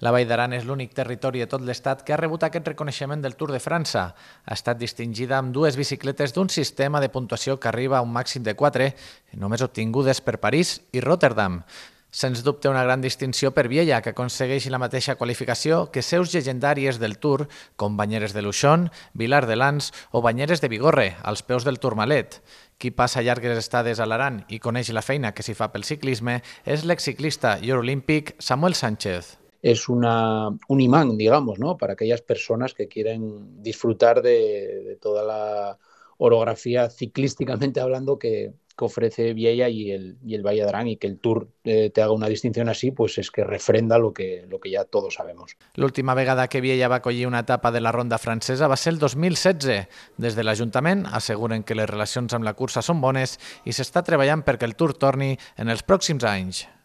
La Vall d'Aran és l'únic territori de tot l'Estat que ha rebut aquest reconeixement del Tour de França. Ha estat distingida amb dues bicicletes d'un sistema de puntuació que arriba a un màxim de 4, només obtingudes per París i Rotterdam. Sens dubte una gran distinció per Viella, que aconsegueix la mateixa qualificació que seus llegendàries del Tour, com Banyeres de Luixón, Vilar de Lans o Banyeres de Bigorre, als peus del Tourmalet. Qui passa llargues estades a l'Aran i coneix la feina que s'hi fa pel ciclisme és l'exciclista i olímpic Samuel Sánchez. Es un imán, digamos, ¿no? Para aquellas personas que quieren disfrutar de toda la orografía ciclísticamente hablando que ofrece Viella y el Valle d'Aran, y que el Tour te haga una distinción así, pues es que refrenda lo que ya todos sabemos. L'última vegada que Viella va acollir una etapa de la ronda francesa va ser el 2016. Des de l'Ajuntament asseguren que les relacions amb la cursa són bones i s'està treballant perquè el Tour torni en els pròxims anys.